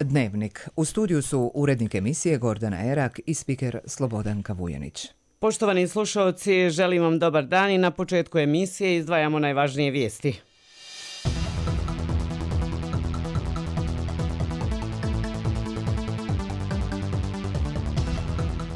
Dnevnik. U studiju su urednik emisije Gordana Erak i spiker Slobodanka Vujanić. Poštovani slušalci, želim vam dobar dan i na početku emisije izdvajamo najvažnije vijesti.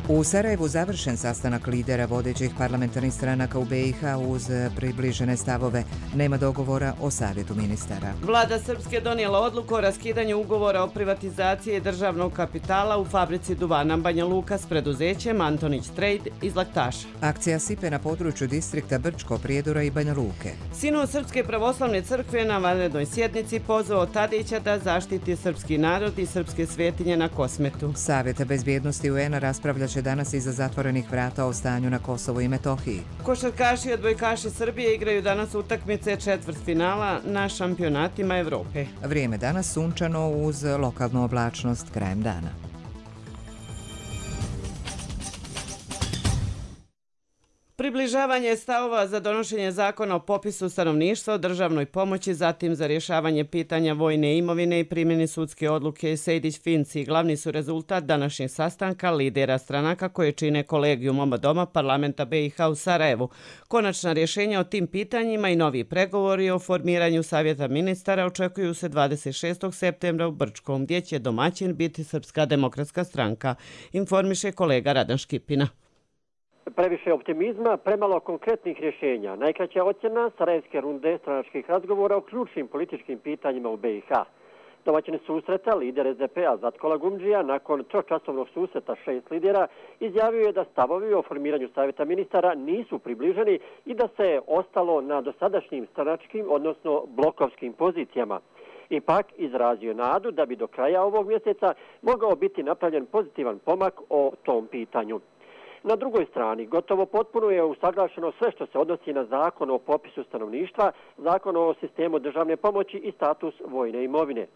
U Sarajevu završen sastanak lidera vodećih parlamentarnih stranaka u BiH uz približene stavove. Nema dogovora o savjetu ministara. Vlada Srpske donijela odluku o raskidanju ugovora o privatizaciji državnog kapitala u fabrici duvana Banja Luka s preduzećem Antonić Trade iz Laktaša. Akcija sipe na području distrikta Brčko, Prijedora i Banja Luke. Sinod Srpske pravoslavne crkve na vanrednoj sjednici pozvao Tadića da zaštiti srpski narod i srpske svetinje na Kosmetu. Savjet bezbjednosti UN-a raspravlja danas iza zatvorenih vrata o stanju na Kosovu i Metohiji. Košarkaši i odbojkaši Srbije igraju danas utakmice četvrtfinala na šampionatima Evrope. Vrijeme danas sunčano uz lokalnu oblačnost krajem dana. Približavanje stavova za donošenje zakona o popisu stanovništva, o državnoj pomoći, zatim za rješavanje pitanja vojne imovine i primjeni sudske odluke Sejdić-Finci glavni su rezultat današnjeg sastanka lidera stranaka koje čine kolegijum oba doma parlamenta BiH u Sarajevu. Konačna rješenja o tim pitanjima i novi pregovori o formiranju savjeta ministara očekuju se 26. septembra u Brčkom, gdje će domaćin biti Srpska demokratska stranka, informiše kolega Radan Škipina. Previše optimizma, premalo konkretnih rješenja. Najkraća ocjena sarajevske runde stranačkih razgovora o ključnim političkim pitanjima u BiH. Domaćin susreta, lider SDP-a Zatkola Gumdžija, nakon tročasovnog susreta 6 lidera, izjavio je da stavovi o formiranju savjeta ministara nisu približeni i da se ostalo na dosadašnjim stranačkim, odnosno blokovskim pozicijama. Ipak izrazio nadu da bi do kraja ovog mjeseca mogao biti napravljen pozitivan pomak o tom pitanju. Na drugoj strani, gotovo potpuno je usaglašeno sve što se odnosi na zakon o popisu stanovništva, zakon o sistemu državne pomoći i status vojne imovine.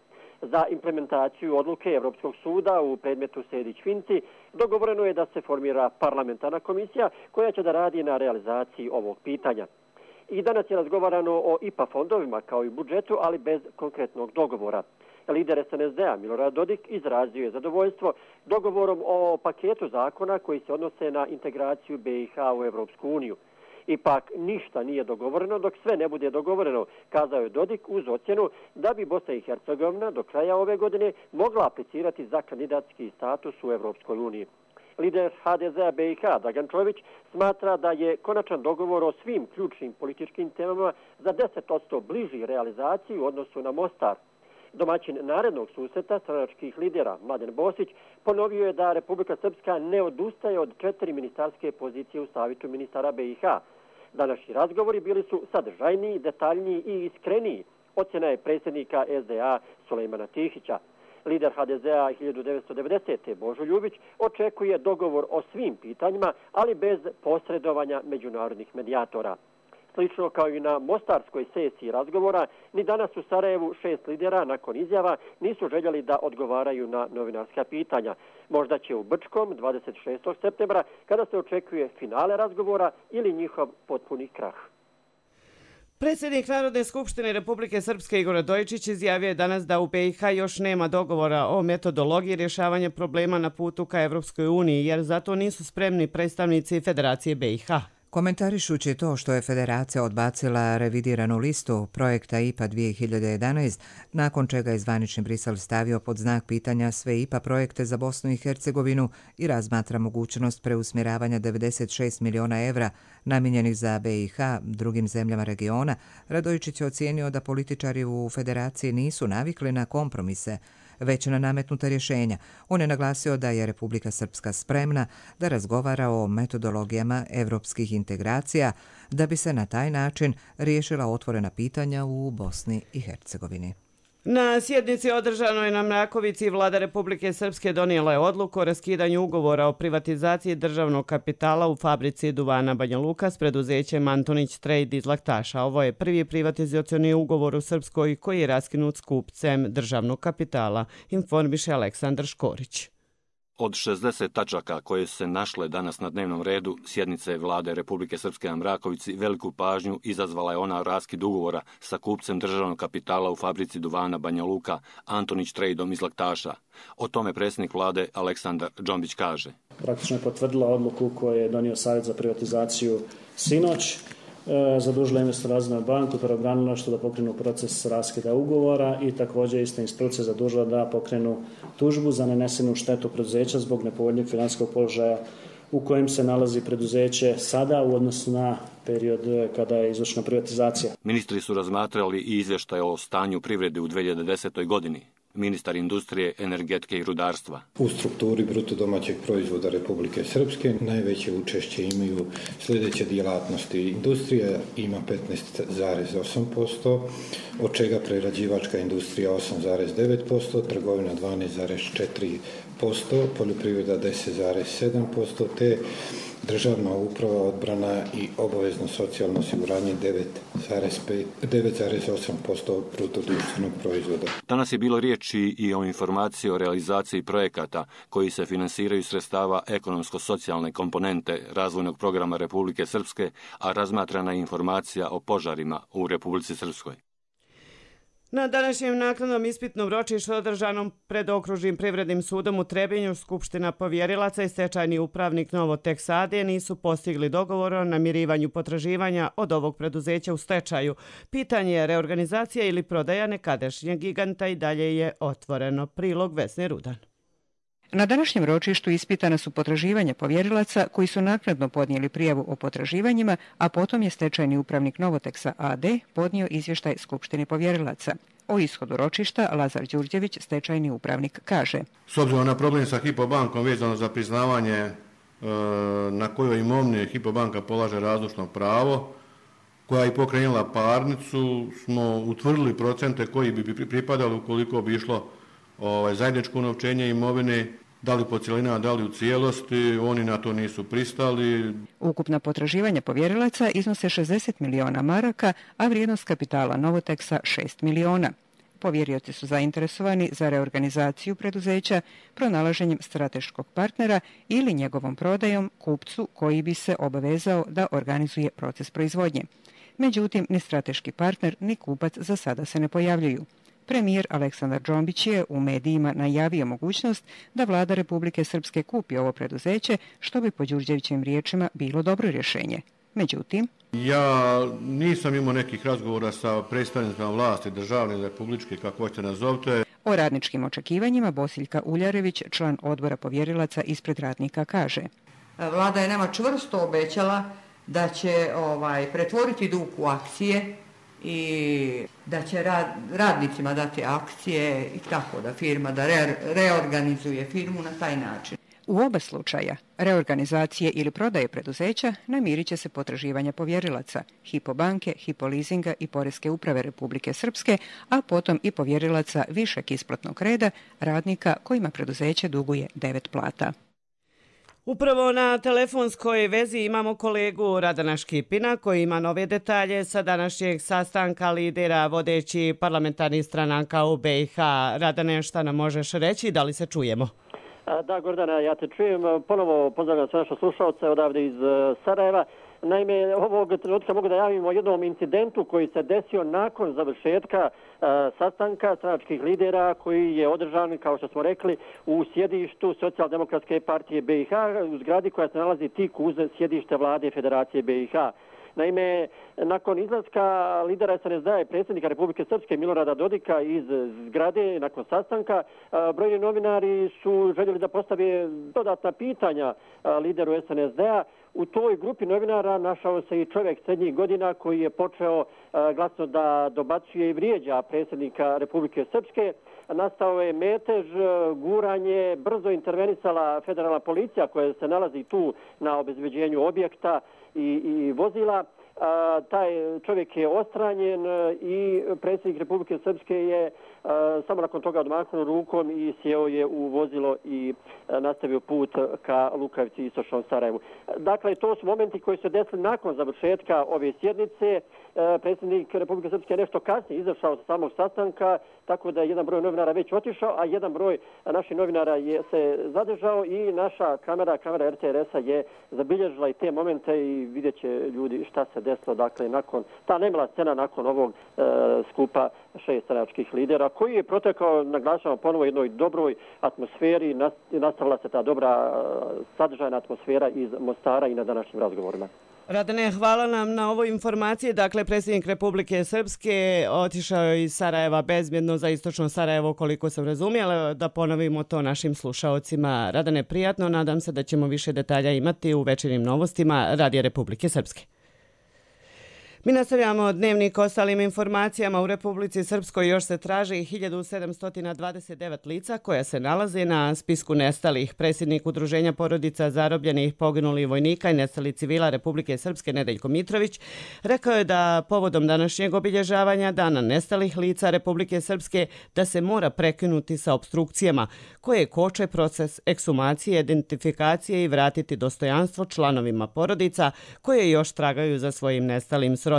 Za implementaciju odluke Europskog suda u predmetu Sejdić-Finci dogovoreno je da se formira parlamentarna komisija koja će da radi na realizaciji ovog pitanja. I danas je razgovarano o IPA fondovima kao i budžetu, ali bez konkretnog dogovora. Lider SNSD-a Milorad Dodik izrazio je zadovoljstvo dogovorom o paketu zakona koji se odnose na integraciju BiH u Evropsku uniju. Ipak ništa nije dogovoreno dok sve ne bude dogovoreno, kazao je Dodik uz ocjenu da bi Bosna i Hercegovina do kraja ove godine mogla aplicirati za kandidatski status u Evropskoj uniji. Lider HDZ-a BiH Dragan Čović smatra da je konačan dogovor o svim ključnim političkim temama za 10% bliži realizaciji u odnosu na Mostar. Domaćin narednog susreta stranačkih lidera Mladen Bosić ponovio je da Republika Srpska ne odustaje od 4 ministarske pozicije u savjetu ministara BiH. Današnji razgovori bili su sadržajniji, detaljniji i iskreniji, ocjena je predsjednika SDA Sulejmana Tihića. Lider HDZ-a 1990. Božo Ljubić očekuje dogovor o svim pitanjima, ali bez posredovanja međunarodnih medijatora. Slično kao i na mostarskoj sesiji razgovora, ni danas u Sarajevu 6 lidera nakon izjava nisu željeli da odgovaraju na novinarska pitanja. Možda će u Brčkom 26. septembra, kada se očekuje finale razgovora ili njihov potpuni krah. Predsjednik Narodne skupštine Republike Srpske Igor Radojičić izjavio je danas da u BiH još nema dogovora o metodologiji rješavanja problema na putu ka Evropskoj uniji, jer zato nisu spremni predstavnici Federacije BiH. Komentarišući to što je Federacija odbacila revidiranu listu projekta IPA 2011, nakon čega je zvanični Brisel stavio pod znak pitanja sve IPA projekte za Bosnu i Hercegovinu i razmatra mogućnost preusmjeravanja 96 miliona evra namijenjenih za BiH drugim zemljama regiona, Radojičić je ocijenio da političari u Federaciji nisu navikli na kompromise, već na nametnuta rješenja. On je naglasio da je Republika Srpska spremna da razgovara o metodologijama evropskih integracija da bi se na taj način riješila otvorena pitanja u Bosni i Hercegovini. Na sjednici održanoj na Mrakovici Vlada Republike Srpske donijela je odluku o raskidanju ugovora o privatizaciji državnog kapitala u fabrici duvana Banja Luka s preduzećem Antonić Trade iz Laktaša. Ovo je prvi privatizacioni ugovor u Srpskoj koji je raskinut s kupcem državnog kapitala, informiše Aleksandar Škorić. Od 60 tačaka koje su se našle danas na dnevnom redu sjednice vlade Republike Srpske na Mrakovici, veliku pažnju izazvala je ona raskid ugovora sa kupcem državnog kapitala u fabrici duvana Banja Luka, Antonić Trejdom iz Laktaša. O tome predsjednik vlade Aleksandar Džombić kaže. Praktično je potvrdila odluku koju je donio Savjet za privatizaciju sinoć. Zadužila Investor Razvojnu banku, pravobranilištvo da pokrenu proces raskida ugovora i također ista institucija zadužila da pokrenu tužbu za nanesenu štetu preduzeća zbog nepovoljnijeg financijskog položaja u kojem se nalazi preduzeće sada u odnosu na period kada je izvršena privatizacija. Ministri su razmatrali i izvještaj o stanju privrede u 2010. godini. Ministar industrije, energetike i rudarstva. U strukturi bruto domaćeg proizvoda Republike Srpske najveće učešće imaju sljedeće djelatnosti. Industrija ima 15,8%, od čega prerađivačka industrija 8,9%, trgovina 12,4%, poljoprivreda 10,7%, te državna uprava, odbrana i obavezno socijalno osiguranje 9,8% bruto društvenog proizvoda. Danas je bilo riječi i o informaciji o realizaciji projekata koji se finansiraju sredstava ekonomsko-socijalne komponente razvojnog programa Republike Srpske, a razmatrana je informacija o požarima u Republici Srpskoj. Na današnjem naknadnom ispitnom ročištu održanom pred Okružnim privrednim sudom u Trebinju Skupština povjerilaca i stečajni upravnik Novoteks AD nisu postigli dogovor o namirivanju potraživanja od ovog preduzeća u stečaju. Pitanje reorganizacije ili prodaja nekadašnjeg giganta i dalje je otvoreno. Prilog Vesne Rudan. Na današnjem ročištu ispitana su potraživanja povjerilaca koji su naknadno podnijeli prijavu o potraživanjima, a potom je stečajni upravnik Novoteksa AD podnio izvještaj Skupštini povjerilaca. O ishodu ročišta Lazar Đurđević, stečajni upravnik, kaže. S obzirom na problem sa Hypo bankom vezano za priznavanje na kojoj imovini Hypo banka polaže razlučno pravo, koja je pokrenula parnicu, smo utvrdili procente koji bi pripadali ukoliko bi išlo zajedničko unovčenje imovine, da li po cjelinama, da li u cijelosti, oni na to nisu pristali. Ukupna potraživanja povjerilaca iznose 60 miliona maraka, a vrijednost kapitala Novoteksa 6 miliona. Povjerioci su zainteresovani za reorganizaciju preduzeća, pronalaženjem strateškog partnera ili njegovom prodajom kupcu koji bi se obavezao da organizuje proces proizvodnje. Međutim, ni strateški partner ni kupac za sada se ne pojavljuju. Premijer Aleksandar Džombić je u medijima najavio mogućnost da vlada Republike Srpske kupi ovo preduzeće, što bi po Đurđevićevim riječima bilo dobro rješenje. Međutim, ja nisam imao nekih razgovora sa predstavnicima vlasti, državne, republičke, kako hoćete nazovite. O radničkim očekivanjima Bosiljka Uljarević, član odbora povjerilaca ispred radnika, kaže. Vlada je nama čvrsto obećala da će pretvoriti dug u akcije i da će radnicima dati akcije i tako da firma da reorganizuje firmu na taj način. U oba slučaja, reorganizacije ili prodaje preduzeća, namirit će se potraživanja povjerilaca, Hypo banke, Hypo leasinga i Poreske uprave Republike Srpske, a potom i povjerilaca višeg isplatnog reda, radnika kojima preduzeće duguje 9 plata. Upravo na telefonskoj vezi imamo kolegu Radana Škipina koji ima nove detalje sa današnjeg sastanka lidera vodeći parlamentarnih stranaka u BiH. Radane, šta nam možeš reći? Da li se čujemo? Da, Gordana, ja te čujem. Ponovo pozdravljam sve naše slušalce odavde iz Sarajeva. Naime, ovog trenutka mogu da javim o jednom incidentu koji se desio nakon završetka sastanka stranačkih lidera koji je održan, kao što smo rekli, u sjedištu Socijaldemokratske partije BiH, u zgradi koja se nalazi tik uz sjedište vlade Federacije BiH. Naime, nakon izlaska lidera SNSD-a i predsjednika Republike Srpske Milorada Dodika iz zgrade, nakon sastanka, brojni novinari su željeli da postave dodatna pitanja lideru SNSD-a. U toj grupi novinara našao se i čovjek srednjih godina koji je počeo glasno da dobacuje i vrijeđa predsjednika Republike Srpske. Nastao je metež, guranje, brzo intervenisala federalna policija koja se nalazi tu na obezbeđenju objekta i vozila. Taj čovjek je ostranjen i predsjednik Republike Srpske je samo nakon toga odmahnuo rukom i sjeo je u vozilo i nastavio put ka Lukavici i istočnom Sarajevu. Dakle, to su momenti koji su desili nakon završetka ove sjednice. Predsjednik Republike Srpske je nešto kasnije izašao sa samog sastanka tako da je jedan broj novinara već otišao, a jedan broj naših novinara se zadržao i naša kamera RTRS-a je zabilježila i te momente i vidjet će ljudi šta se desilo, dakle, nakon ta nemala scena nakon ovog skupa 6 stranačkih lidera, koji je protekao, naglašavamo ponovo, jednoj dobroj atmosferi, nastavila se ta dobra sadržajna atmosfera iz Mostara i na današnjim razgovorima. Radane, hvala nam na ovoj informaciji. Dakle, predsjednik Republike Srpske otišao je iz Sarajeva bezbjedno za istočno Sarajevo, koliko sam razumjela, da ponovimo to našim slušaocima. Radane, prijatno, nadam se da ćemo više detalja imati u večernjim novostima Radija Republike Srpske. Mi nastavljamo dnevnik ostalim informacijama. U Republici Srpskoj još se traži 1729 lica koja se nalaze na spisku nestalih. Predsjednik Udruženja porodica zarobljenih, poginulih vojnika i nestalih civila Republike Srpske Nedeljko Mitrović rekao je da povodom današnjeg obilježavanja Dana nestalih lica Republike Srpske da se mora prekinuti sa opstrukcijama koje koče proces ekshumacije, identifikacije i vratiti dostojanstvo članovima porodica koje još tragaju za svojim nestalim srodnicima.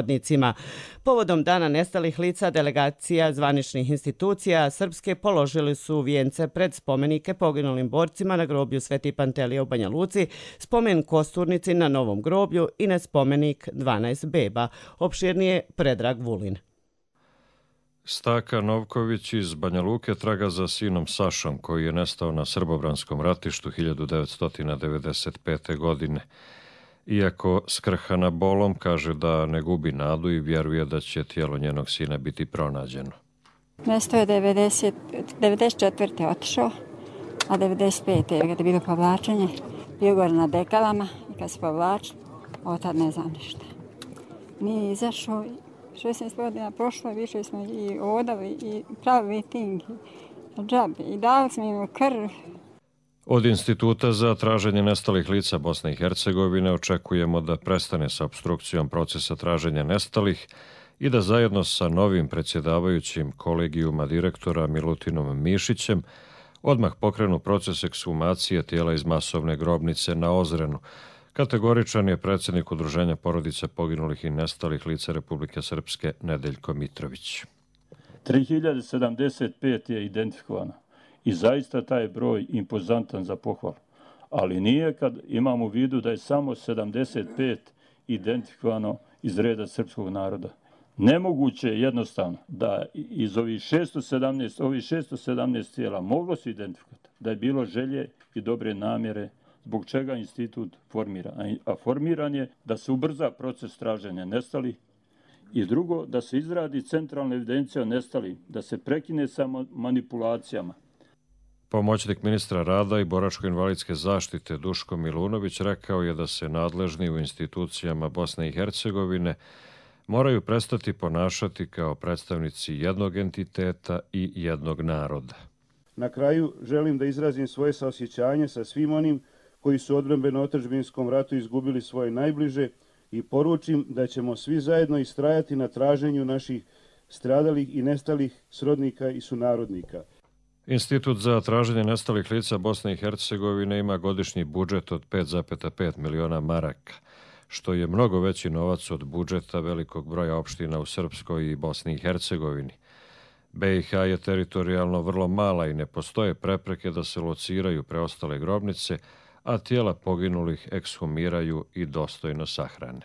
Povodom Dana nestalih lica delegacija zvaničnih institucija Srpske položili su vijence pred spomenike poginulim borcima na groblju Sveti Pantelija u Banja Luci, spomen Kosturnici na Novom groblju i na spomenik 12 beba. Opširnije Predrag Vulin. Staka Novković iz Banja Luke traga za sinom Sašom, koji je nestao na Srbobranskom ratištu 1995. godine. Iako skrhana bolom, kaže da ne gubi nadu i vjeruje da će tijelo njenog sina biti pronađeno. Nestao je 94. otišao, a 95. kada je bilo povlačenje, bio gore na dekalama i kad se povlačili, od tad ne znam ništa. Nije izašao, 16 godina prošlo, više smo i odali i pravi miting, džabe i dali smo im krv. Od Instituta za traženje nestalih lica Bosne i Hercegovine očekujemo da prestane sa opstrukcijom procesa traženja nestalih i da zajedno sa novim predsjedavajućim kolegijuma direktora Milutinom Mišićem odmah pokrenu proces ekshumacije tijela iz masovne grobnice na Ozrenu. Kategoričan je predsjednik Udruženja porodica poginulih i nestalih lica Republike Srpske Nedeljko Mitrović. 3075 je identifikovano. I zaista taj broj impozantan za pohvalu. Ali nije kad imamo u vidu da je samo 75 identifikovano iz reda srpskog naroda. Nemoguće je jednostavno da iz ovih 617 tijela moglo se identifikovati, da je bilo želje i dobre namjere zbog čega institut formira. A formiran je da se ubrza proces traženja nestalih i drugo, da se izradi centralna evidencija o nestalih, da se prekine sa manipulacijama. Pomoćnik ministra rada i boračko-invalidske zaštite Duško Milunović rekao je da se nadležni u institucijama Bosne i Hercegovine moraju prestati ponašati kao predstavnici jednog entiteta i jednog naroda. Na kraju želim da izrazim svoje saosjećanje sa svim onim koji su u odbrambeno-otadžbinskom ratu izgubili svoje najbliže i poručim da ćemo svi zajedno istrajati na traženju naših stradalih i nestalih srodnika i sunarodnika. Institut za traženje nestalih lica Bosne i Hercegovine ima godišnji budžet od 5,5 miliona maraka, što je mnogo veći novac od budžeta velikog broja opština u Srpskoj i Bosni i Hercegovini. BiH je teritorijalno vrlo mala i ne postoje prepreke da se lociraju preostale grobnice, a tijela poginulih ekshumiraju i dostojno sahrane.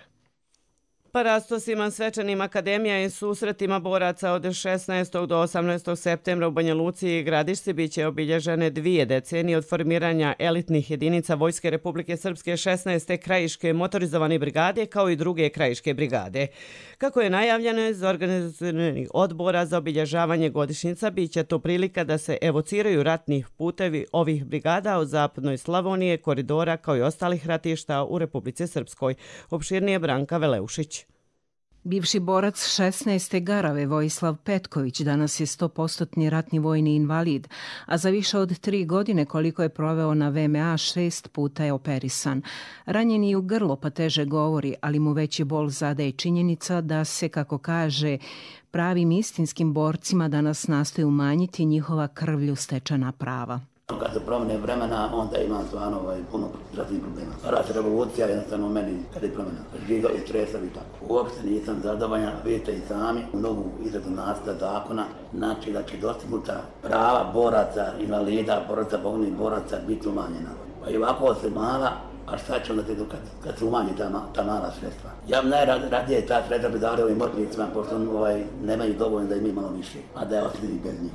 Parastosima, svečanim akademija i susretima boraca od 16. do 18. septembra u Banja Luci i Gradišci biće obilježene 2 decenije od formiranja elitnih jedinica Vojske Republike Srpske 16. krajiške motorizovane brigade kao i 2. krajiške brigade. Kako je najavljeno iz organizacionalnih odbora za obilježavanje godišnjica, biće to prilika da se evociraju ratnih putevi ovih brigada od zapadnoj Slavonije, koridora kao i ostalih ratišta u Republici Srpskoj. Opširnije Branka Veleušić. Bivši borac 16. Garave Vojislav Petković danas je 100% ratni vojni invalid, a za više od 3 godine koliko je proveo na VMA 6 puta je operisan. Ranjen je u grlo pa teže govori, ali mu veći bol zadaje činjenica da se, kako kaže, pravim istinskim borcima danas nastoji umanjiti njihova krvlju stečena prava. Kad se promene vremena, onda imam stvarno puno zdravstvenih problema. Rat revolucija jednostavno meni kada je promena. Žiga i stresovi i tako. Uopšte nisam zadovoljan, vidite i sami u novu izradu nacrta zakona, znači da će dostignuta prava boraca, invalida, boraca, poginulih boraca biti umanjena. Pa i ovako se mala, a šta će onda kad se umanji ta mala sredstva? Ja bi najradije ta sredstva bi dali ovim moćnicima, pošto nemaju dovoljno da im malo više, a da je osjetili bez njih.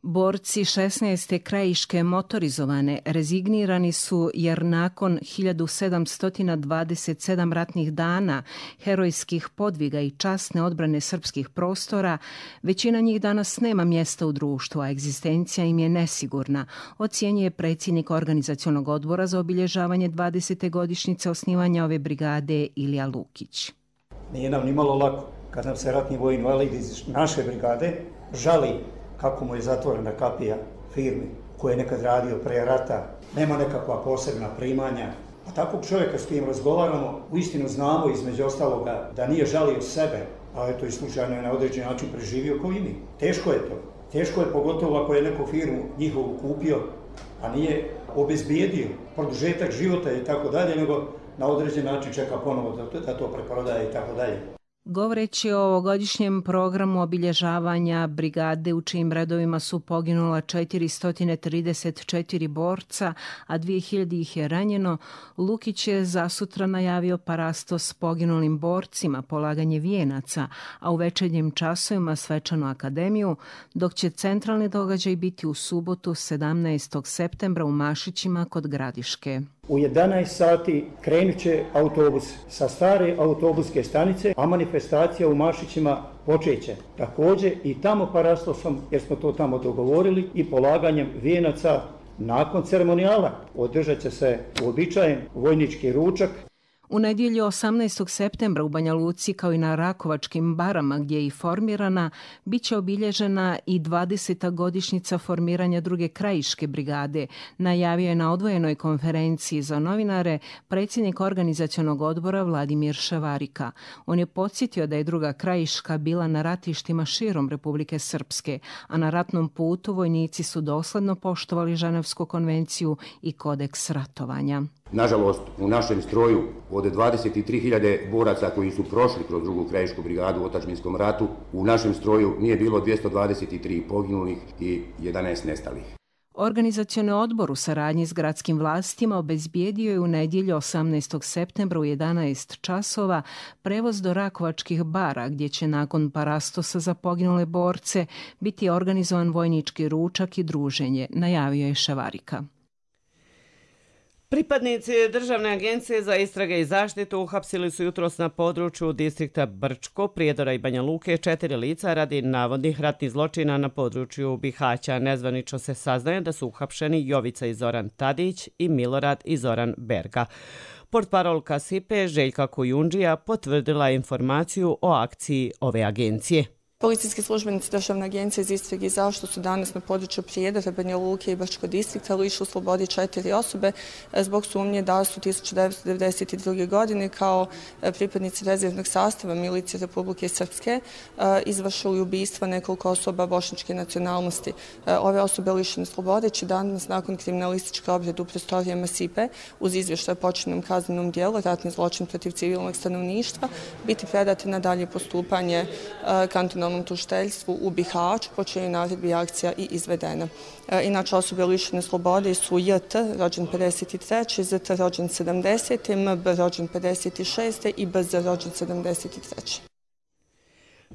Borci 16. krajiške motorizovane rezignirani su jer nakon 1727 ratnih dana, herojskih podviga i časne odbrane srpskih prostora, većina njih danas nema mjesta u društvu, a egzistencija im je nesigurna, ocjenjuje predsjednik organizacionog odbora za obilježavanje 20. godišnjice osnivanja ove brigade Ilija Lukić. Nije nam ni malo lako kad nam se ratni vojni invalid iz naše brigade žali kako mu je zatvorena kapija firmi koje je nekad radio pre rata, nema nekakva posebna primanja. A takvog čovjeka s kojim razgovaramo, uistinu znamo između ostaloga da nije žalio sebe, a eto i slučajno je na određen način preživio kao i mi. Teško je to. Teško je pogotovo ako je neku firmu njihovu kupio, a nije obezbijedio produžetak života i tako dalje, nego na određen način čeka ponovo da to preprodaje i tako dalje. Govoreći o ovogodišnjem programu obilježavanja brigade u čijim redovima su poginula 434 borca, a 2000 ih je ranjeno, Lukić je zasutra najavio parasto s poginulim borcima, polaganje vijenaca, a u večernjim časovima svečanu akademiju, dok će centralni događaj biti u subotu 17. septembra u Mašićima kod Gradiške. U 11 sati krenut će autobus sa stare autobuske stanice, a manifestacija u Mašićima počeće. Također i tamo parastosom, jer smo to tamo dogovorili, i polaganjem vijenaca nakon ceremonijala. Održat će se uobičajen vojnički ručak. U nedjelju 18. septembra u Banja Luci, kao i na Rakovačkim barama gdje je i formirana, bit će obilježena i 20. godišnjica formiranja druge krajiške brigade, najavio je na odvojenoj konferenciji za novinare predsjednik organizacionog odbora Vladimir Ševarika. On je podsjetio da je druga krajiška bila na ratištima širom Republike Srpske, a na ratnom putu vojnici su dosledno poštovali Ženevsku konvenciju i kodeks ratovanja. Nažalost, u našem stroju od 23.000 boraca koji su prošli kroz drugu krajišku brigadu u otadžbinskom ratu, u našem stroju nije bilo 223 poginulih i 11 nestalih. Organizacioni odbor u saradnji s gradskim vlastima obezbijedio je u nedjelju 18. septembra u 11 časova prevoz do Rakovačkih bara, gdje će nakon parastosa za poginule borce biti organizovan vojnički ručak i druženje, najavio je Ševarika. Pripadnici Državne agencije za istrage i zaštitu uhapsili su jutros na području distrikta Brčko, Prijedora i Banja Luke 4 lica radi navodnih ratnih zločina na području Bihaća. Nezvanično se saznaje da su uhapšeni Jovica i Zoran Tadić i Milorad i Zoran Berga. Portparolka SIPE Željka Kujundžija potvrdila informaciju o akciji ove agencije. Policijski službenici Državne agencije za istrage i zaštitu su danas na području Prijedora, Banja Luke i Brčkog distrikta lišili slobode 4 osobe zbog sumnje da su 1992. godine kao pripadnici rezervnog sastava milicije Republike Srpske izvršili ubistva nekoliko osoba bošnjačke nacionalnosti. Ove osobe lišene slobode će danas nakon kriminalističke obrade u prostorijama SIPE uz izvještaj o počinjenom kaznenom dijelu ratni zločin protiv civilnog stanovništva biti predate na dalje postupanje kantonalnom tužiteljstvu u Bihaću, po čijoj naredbi je akcija i izvedena. Inače, osobe lišene slobode su JT, rođen 53. ZT, rođen 70. MB, rođen 56. i BZ, rođen 73.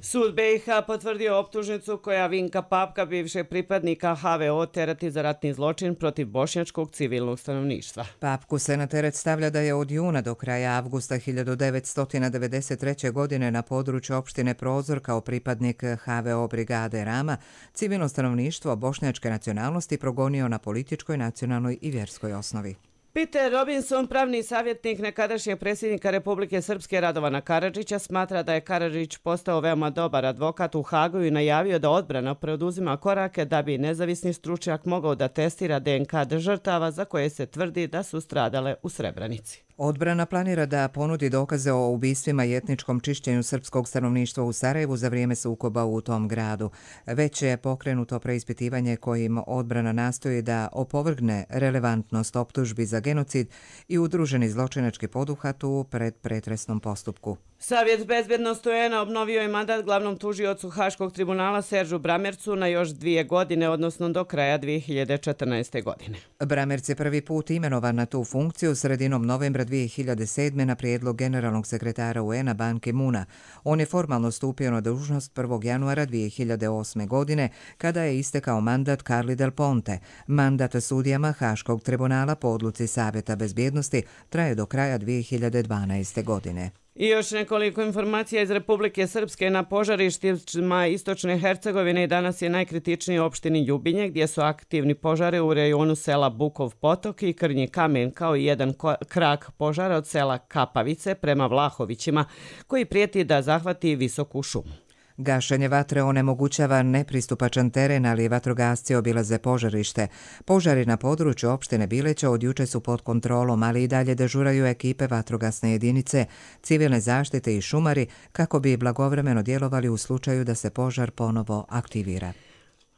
Sud BiH potvrdio optužnicu koja Vinka Papka, bivšeg pripadnika HVO, tereti za ratni zločin protiv bošnjačkog civilnog stanovništva. Papku se na teret stavlja da je od juna do kraja avgusta 1993. godine na području opštine Prozor kao pripadnik HVO brigade Rama civilno stanovništvo bošnjačke nacionalnosti progonio na političkoj, nacionalnoj i vjerskoj osnovi. Peter Robinson, pravni savjetnik nekadašnjeg predsjednika Republike Srpske Radovana Karadžića, smatra da je Karadžić postao veoma dobar advokat u Hagu i najavio da odbrana preduzima korake da bi nezavisni stručnjak mogao da testira DNK žrtava za koje se tvrdi da su stradale u Srebrenici. Odbrana planira da ponudi dokaze o ubistvima i etničkom čišćenju srpskog stanovništva u Sarajevu za vrijeme sukoba u tom gradu. Već je pokrenuto preispitivanje kojim odbrana nastoji da opovrgne relevantnost optužbi za genocid i udruženi zločinački poduhvat u predpretresnom postupku. Savjet bezbjednosti UN-a obnovio je mandat glavnom tužiocu Haškog tribunala Seržu Bramercu na još 2 godine, odnosno do kraja 2014. godine. Bramerc je prvi put imenovan na tu funkciju sredinom novembra 2007. na prijedlog generalnog sekretara UN-a Ban Ki-moona. On je formalno stupio na dužnost 1. januara 2008. godine, kada je istekao mandat Carli Del Ponte. Mandat sudijama Haškog tribunala po odluci Savjeta bezbjednosti traje do kraja 2012. godine. I još nekoliko informacija iz Republike Srpske. Na požarištima istočne Hercegovine danas je najkritičniji u opštini Ljubinje, gdje su aktivni požari u rejonu sela Bukov potok i Krnji kamen, kao i jedan krak požara od sela Kapavice prema Vlahovićima, koji prijeti da zahvati visoku šumu. Gašenje vatre onemogućava nepristupačan teren, ali vatrogasci obilaze požarište. Požari na području opštine Bileća od juče su pod kontrolom, ali i dalje dežuraju ekipe vatrogasne jedinice, civilne zaštite i šumari kako bi blagovremeno djelovali u slučaju da se požar ponovo aktivira.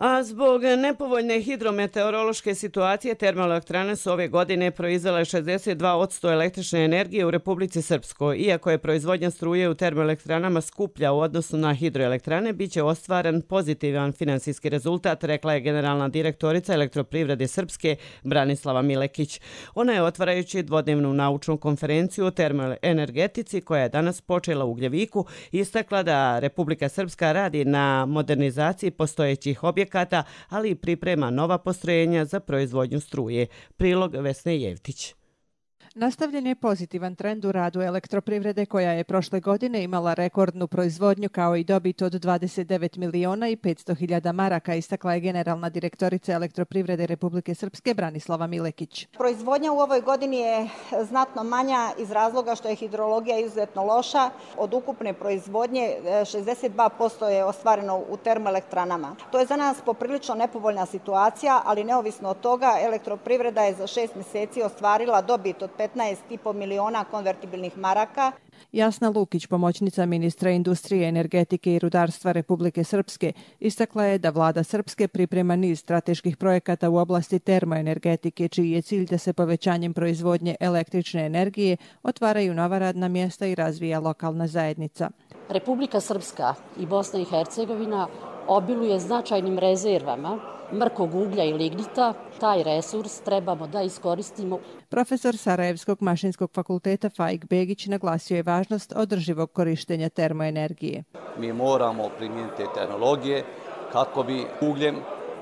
A zbog nepovoljne hidrometeorološke situacije termoelektrane su ove godine proizvele 62% električne energije u Republici Srpskoj. Iako je proizvodnja struje u termoelektranama skuplja u odnosu na hidroelektrane, bit će ostvaren pozitivan finansijski rezultat, rekla je generalna direktorica Elektroprivrede Srpske Branislava Milekić. Ona je, otvarajući dvodnevnu naučnu konferenciju o termoenergetici koja je danas počela u Ugljeviku, istakla da Republika Srpska radi na modernizaciji postojećih objekata, ali i priprema nova postrojenja za proizvodnju struje. Prilog Vesne Jevtić. Nastavljen je pozitivan trend u radu Elektroprivrede, koja je prošle godine imala rekordnu proizvodnju kao i dobit od 29 miliona i 500 hiljada maraka, istakla je generalna direktorica Elektroprivrede Republike Srpske Branislava Milekić. Proizvodnja u ovoj godini je znatno manja iz razloga što je hidrologija izuzetno loša. Od ukupne proizvodnje 62% je ostvareno u termoelektranama. To je za nas poprilično nepovoljna situacija, ali neovisno od toga Elektroprivreda je za 6 mjeseci ostvarila dobit od 15,5 miliona konvertibilnih maraka. Jasna Lukić, pomoćnica ministra industrije, energetike i rudarstva Republike Srpske, istakla je da vlada Srpske priprema niz strateških projekata u oblasti termoenergetike, čiji je cilj da se povećanjem proizvodnje električne energije otvaraju nova radna mjesta i razvija lokalna zajednica. Republika Srpska i Bosna i Hercegovina obiluje značajnim rezervama mrkog uglja i lignita. Taj resurs trebamo da iskoristimo. Profesor Sarajevskog mašinskog fakulteta Faik Begić naglasio je važnost održivog korištenja termoenergije. Mi moramo primijeniti te tehnologije kako bi ugljem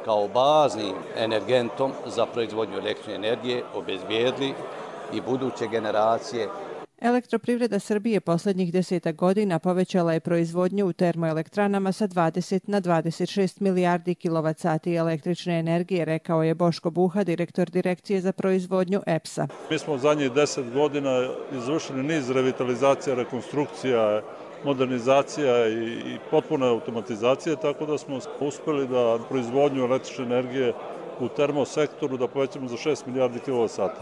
kao baznim energentom za proizvodnju električne energije obezbijedili i buduće generacije. Elektroprivreda Srbije posljednjih 10 godina povećala je proizvodnju u termoelektranama sa 20 na 26 milijardi kilovat-sati električne energije, rekao je Boško Buha, direktor Direkcije za proizvodnju EPS-a. Mi smo u zadnjih 10 godina izvršili niz revitalizacija, rekonstrukcija, modernizacija i potpuna automatizacija, tako da smo uspjeli da proizvodnju električne energije u termosektoru da povećamo za 6 milijardi kilovat-sati.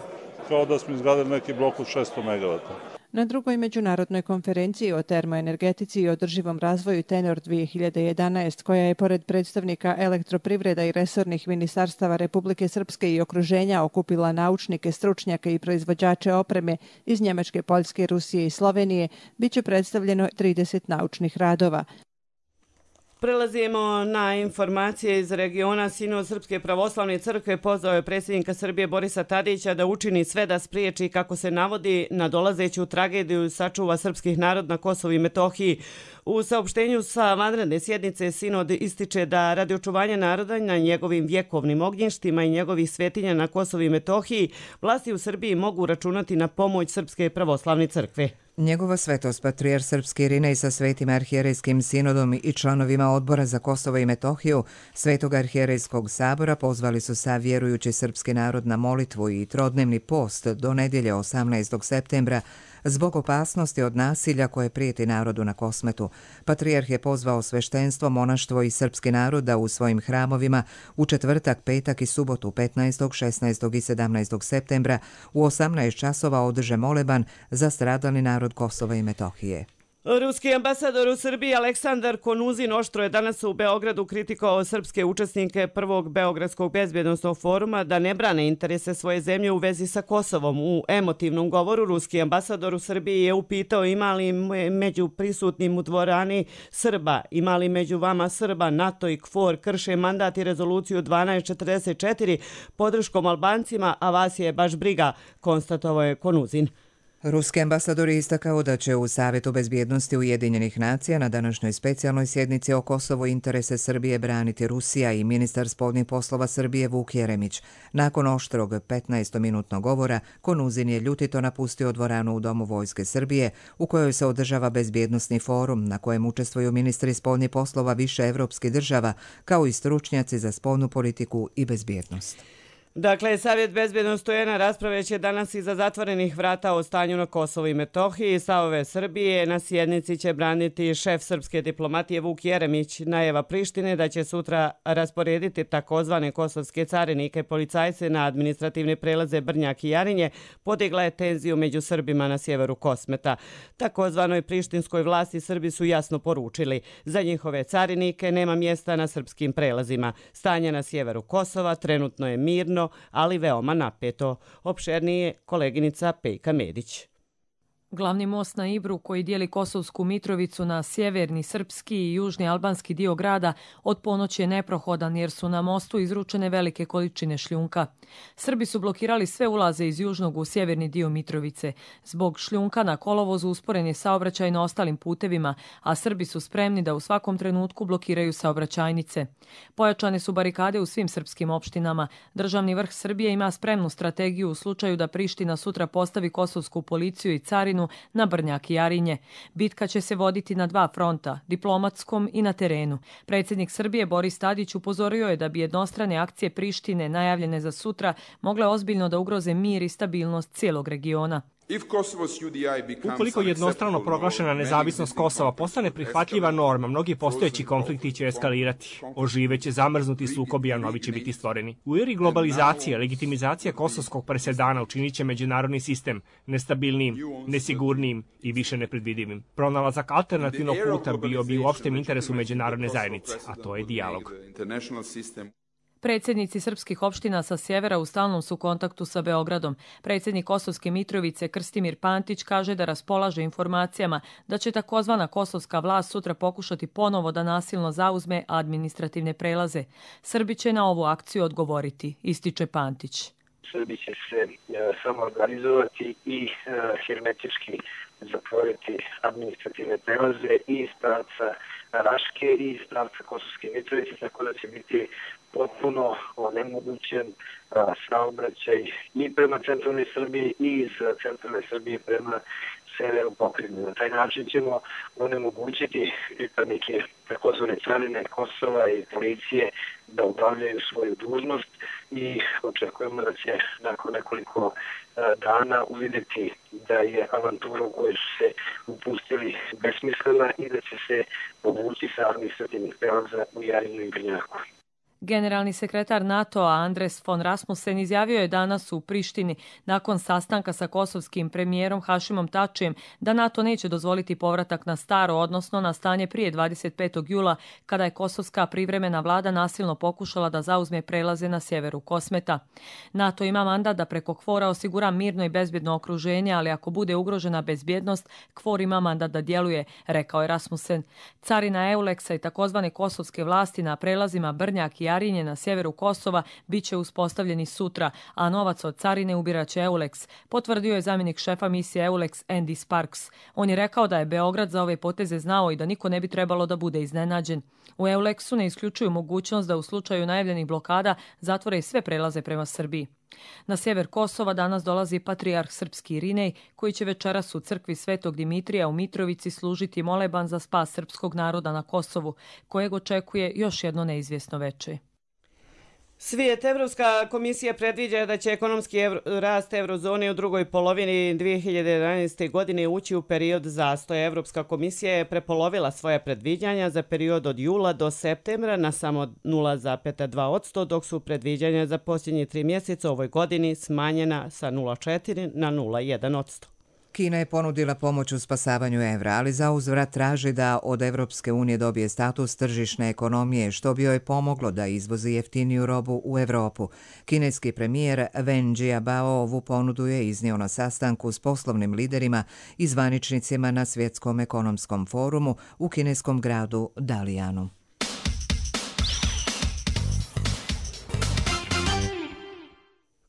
Kao da smo izgradili neki blok od 600 megavata. Na drugoj međunarodnoj konferenciji o termoenergetici i održivom razvoju Tenor 2011, koja je pored predstavnika Elektroprivreda i resornih ministarstava Republike Srpske i okruženja okupila naučnike, stručnjake i proizvođače opreme iz Njemačke, Poljske, Rusije i Slovenije, bit će predstavljeno 30 naučnih radova. Prelazimo na informacije iz regiona. Sinod Srpske pravoslavne crkve pozvao je predsjednika Srbije Borisa Tadića da učini sve da spriječi, kako se navodi, nadolazeću tragediju sačuva srpskih narod na Kosovu i Metohiji. U saopštenju sa vanredne sjednice Sinod ističe da radi očuvanja naroda na njegovim vjekovnim ognjištima i njegovih svetinja na Kosovu i Metohiji, vlasti u Srbiji mogu računati na pomoć Srpske pravoslavne crkve. Njegova svetost patrijarh srpski Irinej sa Svetim arhijerejskim sinodom i članovima Odbora za Kosovo i Metohiju Svetog arhijerejskog sabora pozvali su sav vjerujući srpski narod na molitvu i trodnevni post do nedjelje 18. septembra zbog opasnosti od nasilja koje prijeti narodu na Kosmetu. Patrijarh je pozvao sveštenstvo, monaštvo i srpski narod da u svojim hramovima u četvrtak, petak i subotu 15., 16. i 17. septembra u 18 časova održe moleban za stradalni narod Kosova i Metohije. Ruski ambasador u Srbiji Aleksandar Konuzin oštro je danas u Beogradu kritikovao srpske učesnike prvog Beogradskog bezbjednosnog foruma da ne brane interese svoje zemlje u vezi sa Kosovom. U emotivnom govoru ruski ambasador u Srbiji je upitao ima li među prisutnim u dvorani Srba, ima li među vama Srba, NATO i KFOR krše mandat i rezoluciju 1244 podrškom Albancima, a vas je baš briga, konstatovao je Konuzin. Ruski ambasador je istakao da će u Savjetu bezbjednosti Ujedinjenih nacija na današnjoj specijalnoj sjednici o Kosovu interese Srbije braniti Rusija i ministar spoljnih poslova Srbije Vuk Jeremić. Nakon oštrog 15-minutnog govora, Konuzin je ljutito napustio dvoranu u Domu Vojske Srbije, u kojoj se održava bezbjednosni forum na kojem učestvuju ministri spoljnih poslova više evropskih država, kao i stručnjaci za spoljnu politiku i bezbjednost. Dakle, Savjet bezbjednosti UN rasprave će danas iza zatvorenih vrata o stanju na Kosovu i Metohiji. Stavove Srbije na sjednici će braniti šef srpske diplomatije Vuk Jeremić. Najava Prištine da će sutra rasporediti takozvane kosovske carinike policajce na administrativne prelaze Brnjak i Jarinje podigla je tenziju među Srbima na sjeveru Kosmeta. Takozvanoj prištinskoj vlasti Srbi su jasno poručili. Za njihove carinike nema mjesta na srpskim prelazima. Stanje na sjeveru Kosova trenutno je mirno, ali veoma napeto. Opšernije koleginica Pejka Medić. Glavni most na Ibru koji dijeli Kosovsku Mitrovicu na sjeverni srpski i južni albanski dio grada od ponoći je neprohodan jer su na mostu izručene velike količine šljunka. Srbi su blokirali sve ulaze iz južnog u sjeverni dio Mitrovice. Zbog šljunka na kolovozu usporen je saobraćaj na ostalim putevima, a Srbi su spremni da u svakom trenutku blokiraju saobraćajnice. Pojačane su barikade u svim srpskim opštinama. Državni vrh Srbije ima spremnu strategiju u slučaju da Priština sutra postavi kosovsku policiju i carinu na Brnjak i Jarinje. Bitka će se voditi na dva fronta, diplomatskom i na terenu. Predsjednik Srbije Boris Tadić upozorio je da bi jednostrane akcije Prištine najavljene za sutra mogle ozbiljno da ugroze mir i stabilnost cijelog regiona. Ukoliko jednostrano proglašena nezavisnost Kosova postane prihvatljiva norma, mnogi postojeći konflikti će eskalirati. Oživeće zamrznuti sukobi, a novi će biti stvoreni. U eri globalizacije, legitimizacija kosovskog presedana učinit će međunarodni sistem nestabilnijim, nesigurnijim i više nepredvidivim. Pronalazak alternativnog puta bio bi u opštem interesu međunarodne zajednice, a to je dijalog. Predsjednici srpskih opština sa sjevera u stalnom su kontaktu sa Beogradom. Predsjednik Kosovske Mitrovice Krstimir Pantić kaže da raspolaže informacijama da će takozvana kosovska vlast sutra pokušati ponovo da nasilno zauzme administrativne prelaze. Srbi će na ovu akciju odgovoriti, ističe Pantić. Srbi će se samoorganizovati i hermetički zatvoriti administrativne prelaze i iz pravca Raške i iz pravca Kosovske Mitrovice, tako da će biti potpuno onemogućen saobraćaj i prema centralnoj Srbiji i iz centralne Srbije prema severu pokrajine. Na taj način ćemo onemogućiti pripadnike takozvane carine Kosova i policije da obavljaju svoju dužnost i očekujemo da će nakon nekoliko dana uvidjeti da je avantura u kojoj su se upustili besmislena i da će se povući sa administrativnih prelaza u Jarinju i Brnjaku. Generalni sekretar NATO-a Andres von Rasmussen izjavio je danas u Prištini nakon sastanka sa kosovskim premijerom Hašimom Tačijem da NATO neće dozvoliti povratak na staro, odnosno na stanje prije 25. jula kada je kosovska privremena vlada nasilno pokušala da zauzme prelaze na sjeveru Kosmeta. NATO ima mandat da preko KFOR-a osigura mirno i bezbjedno okruženje, ali ako bude ugrožena bezbjednost, KFOR ima mandat da djeluje, rekao je Rasmussen. Carina Euleksa i takozvane kosovske vlasti na prelazima Brnjak i Jarinje na sjeveru Kosova bit će uspostavljeni sutra, a novac od carine ubirat će Euleks, potvrdio je zamjenik šefa misije Euleks Andy Sparks. On je rekao da je Beograd za ove poteze znao i da niko ne bi trebalo da bude iznenađen. U Euleksu ne isključuju mogućnost da u slučaju najavljenih blokada zatvore sve prelaze prema Srbiji. Na sjever Kosova danas dolazi patrijarh srpski Irinej, koji će večeras u crkvi Svetog Dimitrija u Mitrovici služiti moleban za spas srpskog naroda na Kosovu, kojeg očekuje još jedno neizvjesno veče. Svijet, Evropska komisija predviđa da će ekonomski rast eurozone u drugoj polovini 2011. godine ući u period zastoja. Evropska komisija je prepolovila svoja predviđanja za period od jula do septembra na samo 0,2%, dok su predviđanja za posljednje 3 mjeseca u ovoj godini smanjena sa 0,4 na 0,1%. Kina je ponudila pomoć u spasavanju evra, ali za uzvrat traži da od Evropske unije dobije status tržišne ekonomije, što bi joj pomoglo da izvozi jeftiniju robu u Evropu. Kineski premijer Wen Jiabao ovu ponudu je iznio na sastanku s poslovnim liderima i zvaničnicima na Svjetskom ekonomskom forumu u kineskom gradu Dalijanu.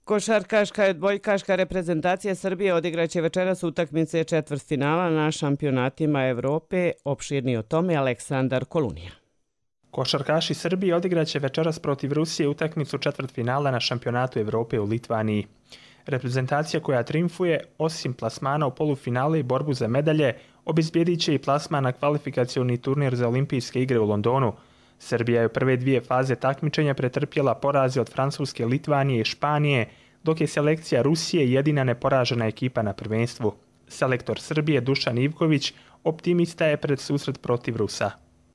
Košarkaška i odbojkaška reprezentacija Srbije odigraće večeras utakmice četvrtfinala na šampionatima Evrope. Opširniji o tome Aleksandar Kolunija. Košarkaši Srbije odigraće večeras protiv Rusije utakmicu četvrtfinala na šampionatu Evrope u Litvaniji. Reprezentacija koja trijumfuje, osim plasmana u polufinale i borbu za medalje, obezbijedit će i plasman na kvalifikacioni turnir za olimpijske igre u Londonu. Srbija je u prve 2 faze takmičenja pretrpjela poraze od Francuske, Litvanije i Španije, dok je selekcija Rusije jedina neporažena ekipa na prvenstvu. Selektor Srbije Dušan Ivković optimista je pred susret protiv Rusa.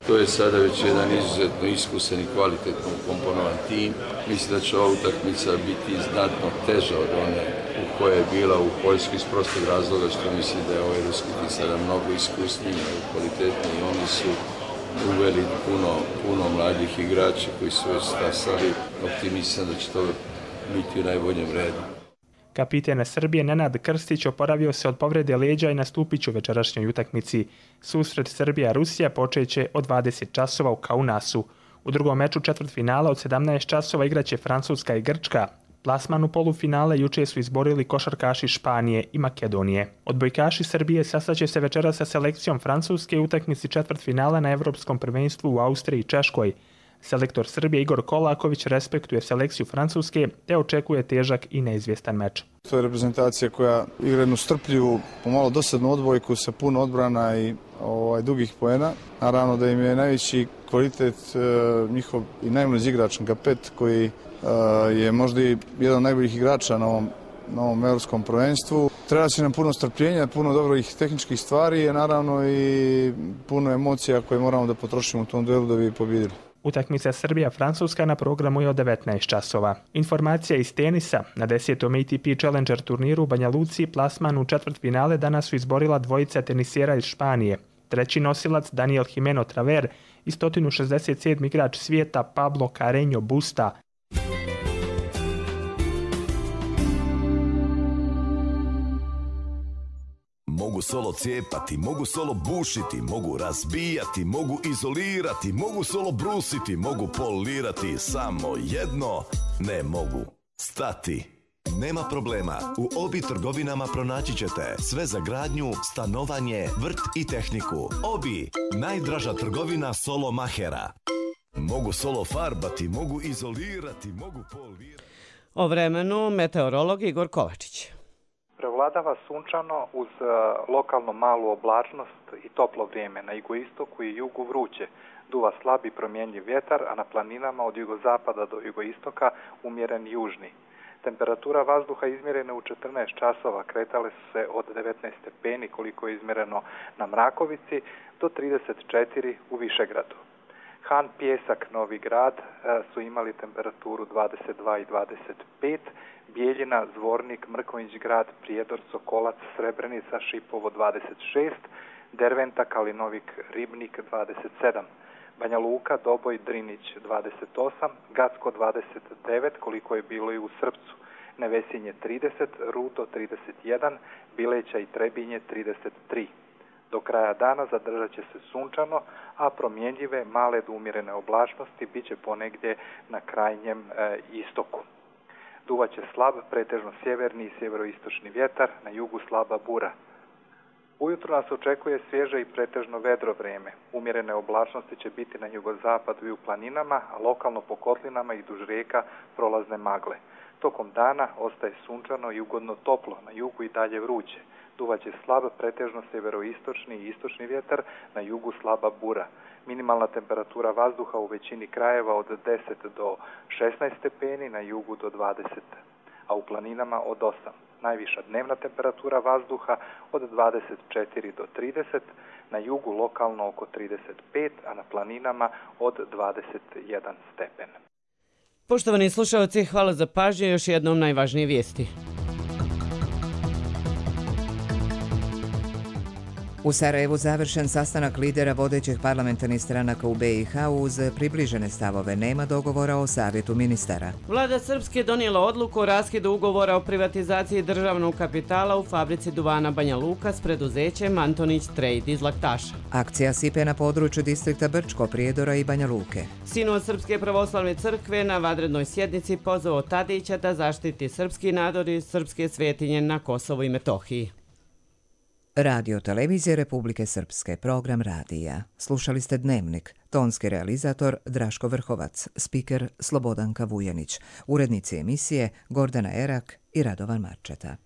To je sada već jedan izuzetno iskusan i kvalitetno ukomponovan tim. Mislim da će ova utakmica biti znatno teža od one u kojoj je bila u Poljskoj iz prostog razloga što mislim da je ovaj ruski tim sada mnogo iskusniji, mnogo kvalitetniji. Oni su uveli puno mladih igrača koji su već stasali. Optimistan da će to biti u najboljem redu. Kapitan Srbije Nenad Krstić oporavio se od povrede leđa i nastupit će u večerašnjoj utakmici. Susret Srbija-Rusija počeće od 20 časova u Kaunasu. U drugom meču četvrtfinala od 17 časova igraće Francuska i Grčka. Plasman u polufinale juče su izborili košarkaši Španije i Makedonije. Odbojkaši Srbije sastaće se večeras sa selekcijom Francuske u utakmici četvrtfinala na Evropskom prvenstvu u Austriji i Češkoj. Selektor Srbije Igor Kolaković respektuje selekciju Francuske te očekuje težak i neizvjestan meč. To je reprezentacija koja igra jednu strpljivu, pomalo dosadnu odbojku sa puno odbrana i dugih poena. Naravno da im je najveći kvalitet njihov i najmlađi igrač Gapet koji je možda i jedan od najboljih igrača na ovom evropskom prvenstvu. Treba će nam puno strpljenja, puno dobrih tehničkih stvari i naravno i puno emocija koje moramo da potrošimo u tom duelu da bi pobjedili. Utakmica Srbija-Francuska na programu je od 19 časova. Informacija iz tenisa. Na 10. ATP Challenger turniru u Banja Luci plasman u četvrtfinale danas su izborila dvojica tenisera iz Španije. Treći nosilac Daniel Jimeno Traver i 167. igrač svijeta Pablo Carreño Busta. Mogu solo cijepati, mogu solo bušiti, mogu razbijati, mogu izolirati, mogu solo brusiti, mogu polirati, samo jedno ne mogu. Stati. Nema problema, u Obi trgovinama pronaći ćete sve za gradnju, stanovanje, vrt i tehniku. Obi, najdraža trgovina solo mahera. Mogu solo farbati, mogu izolirati, mogu polirati. O vremenu meteorolog Igor Kovačić. Prevladava sunčano uz lokalno malu oblačnost i toplo vrijeme. Na jugoistoku i jugu vruće. Duva slab i promjenjiv vjetar, a na planinama od jugozapada do jugoistoka umjeren južni. Temperatura vazduha izmjerena u 14 časova kretale su se od 19 stepeni koliko je izmjereno na Mrakovici do 34 u Višegradu. Han, Pjesak, Novi Grad su imali temperaturu 22 i 25, Bijeljina, Zvornik, Mrkonjić Grad, Prijedor, Sokolac, Srebrenica, Šipovo 26, Derventa, Kalinovik, Ribnik 27, Banja Luka, Doboj, Drinić 28, Gacko 29, koliko je bilo i u Srpcu, Nevesinje 30, Rudo 31, Bileća i Trebinje 33. Do kraja dana zadržat će se sunčano, a promjenjive male do umjerene oblačnosti bit će ponegdje na krajnjem istoku. Duvaće slab, pretežno sjeverni i sjeveroistočni vjetar, na jugu slaba bura. Ujutro nas očekuje svježe i pretežno vedro vrijeme. Umjerene oblačnosti će biti na jugozapadu i u planinama, a lokalno po kotlinama i duž rijeka prolazne magle. Tokom dana ostaje sunčano i ugodno toplo, na jugu i dalje vruće. Duvaće slab, pretežno severoistočni i istočni vjetar, na jugu slaba bura. Minimalna temperatura vazduha u većini krajeva od 10 do 16 stepeni, na jugu do 20, a u planinama od 8. Najviša dnevna temperatura vazduha od 24 do 30, na jugu lokalno oko 35, a na planinama od 21 stepen. Poštovani slušalci, hvala za pažnju. Još jednom najvažnije vijesti. U Sarajevu završen sastanak lidera vodećih parlamentarnih stranaka u BiH uz približene stavove. Nema dogovora o savjetu ministara. Vlada Srpske donijela odluku o raskidu ugovora o privatizaciji državnog kapitala u fabrici duvana Banja Luka s preduzećem Antonić Trade iz Laktaša. Akcija sipe na području distrikta Brčko, Prijedora i Banja Luke. Sinod Srpske pravoslavne crkve na vanrednoj sjednici pozvao Tadića da zaštiti srpski narod i srpske svetinje na Kosovu i Metohiji. Radio Televizije Republike Srpske, program radija. Slušali ste Dnevnik, tonski realizator Draško Vrhovac, spiker Slobodanka Vujanić, urednici emisije Gordana Erak i Radovan Marčeta.